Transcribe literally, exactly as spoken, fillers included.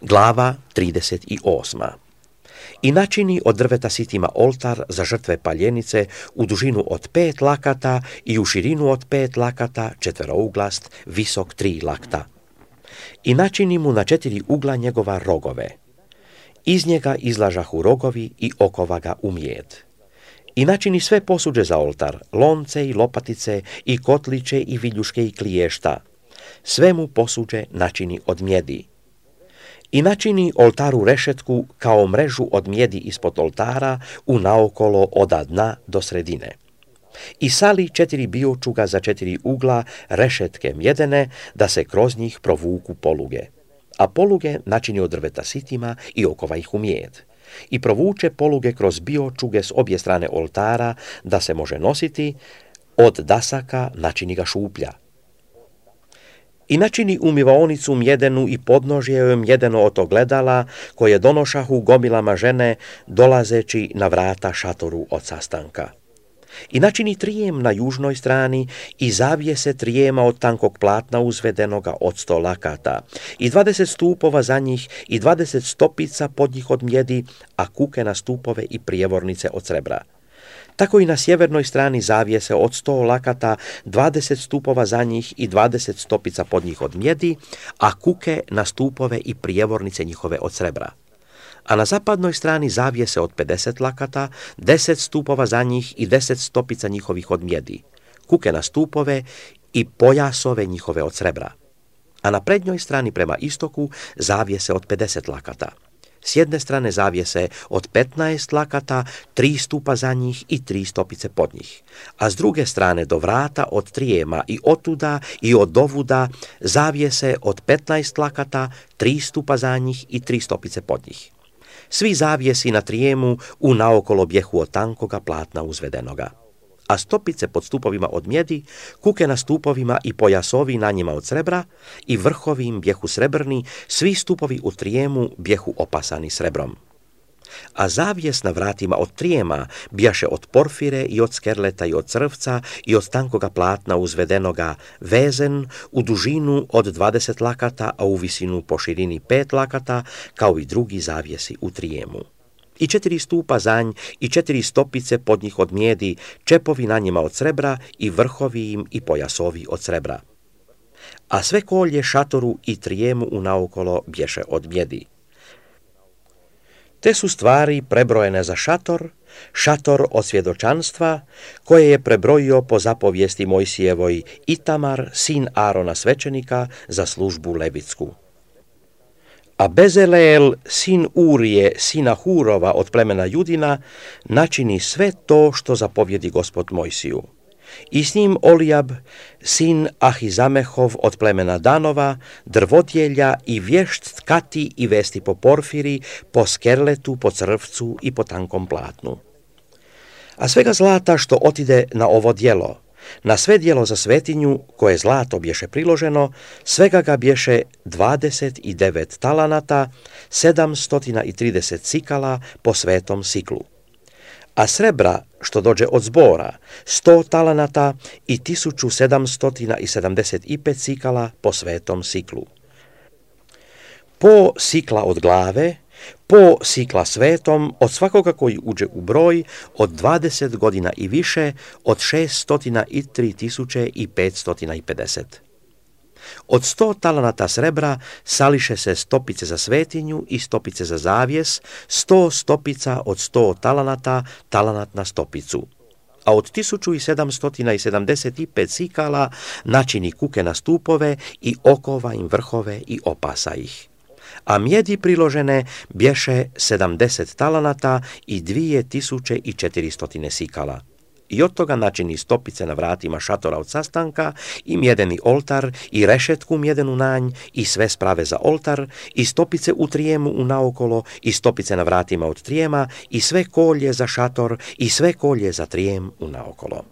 Glava trideset osam. I načini od drveta sitima oltar za žrtve paljenice u dužinu od pet lakata i u širinu od pet lakata, četverouglast, visok tri lakta. I načini mu na četiri ugla njegova rogove. Iz njega izlažahu rogovi i okova ga u mijed. I načini sve posuđe za oltar, lonce i lopatice i kotliće i viljuške i kliješta. Sve mu posuđe načini od mjedi. I načini oltaru rešetku kao mrežu od mjedi ispod oltara u naokolo od dna do sredine. I sali četiri biočuga za četiri ugla rešetke mjedene, da se kroz njih provuku poluge. A poluge načini od drveta sitima i okova ih u mijed. I provuče poluge kroz biočuge s obje strane oltara, da se može nositi, od dasaka načini ga šuplja. I načini umivaonicu mjedenu i podnožje joj mjedeno od ogledala, koje donošahu gomilama žene, dolazeći na vrata šatoru od sastanka. I načini trijem na južnoj strani i zavijese trijema od tankog platna uzvedenoga od sto lakata, i dvadeset stupova za njih i dvadeset stopica pod njih od mjedi, a kuke na stupove i prijevornice od srebra. Tako i na sjevernoj strani zavijese od sto lakata, dvadeset stupova za njih i dvadeset stopica pod njih od mjedi, a kuke na stupove i prijevornice njihove od srebra. A na zapadnoj strani zavijese od pedeset lakata, deset stupova za njih i deset stopica njihovih od mjedi, kuke na stupove i pojasove njihove od srebra. A na prednjoj strani prema istoku zavijese od pedeset lakata. S jedne strane zavijese od petnaest lakata, tri stupa za njih i tri stopice pod njih. A s druge strane do vrata od trijema i otuda i od dovuda zavijese od petnaest lakata, tri stupa za njih i tri stopice pod njih. Svi zavijesi na trijemu u naokolo bjehu od tankoga platna uzvedenoga. A stopice pod stupovima od mjedi, kuke na stupovima i pojasovi na njima od srebra, i vrhovi im bjehu srebrni, svi stupovi u trijemu bjehu opasani srebrom. A zavijes na vratima od trijema bjaše od porfire i od skerleta i od crvca i od tankoga platna uzvedenoga, vezen u dužinu od dvadeset lakata, a u visinu po širini pet lakata, kao i drugi zavijesi u trijemu. I četiri stupa zanj i četiri stopice pod njih od mjedi, čepovi na njima od srebra i vrhovi im i pojasovi od srebra. A sve kolje šatoru i trijemu unaokolo bješe od mjedi. Te su stvari prebrojene za šator, šator od svjedočanstva, koje je prebrojio po zapovijesti Mojsijevoj Itamar, sin Arona svećenika, za službu levitsku. A Bezaleel, sin Urije, sina Hurova od plemena Judina, načini sve to što zapovjedi Gospod Mojsiju. I s njim Olijab, sin Ahizamehov od plemena Danova, drvodjelja i vješt tkati i vesti po porfiri, po skerletu, po crvcu i po tankom platnu. A svega zlata što otide na ovo djelo, na sve djelo za svetinju, koje zlato bješe priloženo, svega ga bješe dvadeset devet talanata, sedamsto trideset sikala po svetom siklu. A srebra, što dođe od zbora, sto talanata i tisuću sedamsto sedamdeset pet sikala po svetom siklu. Po sikla od glave, po sikla svetom, od svakoga koji uđe u broj, od dvadeset godina i više, od šeststo tri tisuće i petsto pedeset. Od sto talanata srebra sališe se stopice za svetinju i stopice za zavijes, sto stopica od sto talanata, talanat na stopicu. A od tisuću sedamsto sedamdeset pet sikala načini kuke na stupove i okova im vrhove i opasa ih. A mjedi priložene bješe sedamdeset talanata i dvije tisuće i četiristotine sikala. I od toga načini stopice na vratima šatora od sastanka i mjedeni oltar i rešetku mjedenu na nj i sve sprave za oltar i stopice u trijemu unaokolo i stopice na vratima od trijema i sve kolje za šator i sve kolje za trijem unaokolo.